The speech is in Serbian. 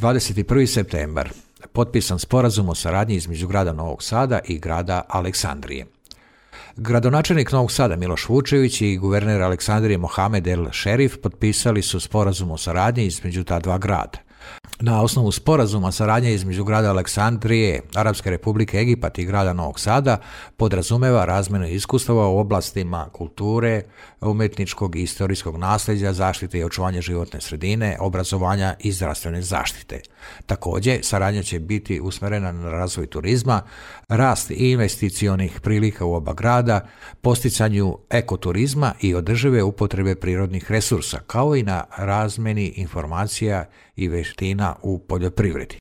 21. septembar. Potpisan sporazum o saradnji između grada Novog Sada i grada Aleksandrije. Gradonačelnik Novog Sada Miloš Vučević i guverner Aleksandrije Mohamed El Šerif potpisali su sporazum o saradnji između ta dva grada. Na osnovu sporazuma saradnje između grada Aleksandrije, Arapske Republike Egipat i grada Novog Sada podrazumeva razmjenu iskustava u oblastima kulture, umjetničkog i istorijskog nasljeđa, zaštite i očuvanja životne sredine, obrazovanja i zdravstvene zaštite. Također, saradnja će biti usmjerena na razvoj turizma, rast investicionih prilika u oba grada, posticanju ekoturizma i održive upotrebe prirodnih resursa, kao i na razmjeni informacija i vještina u poljoprivredi.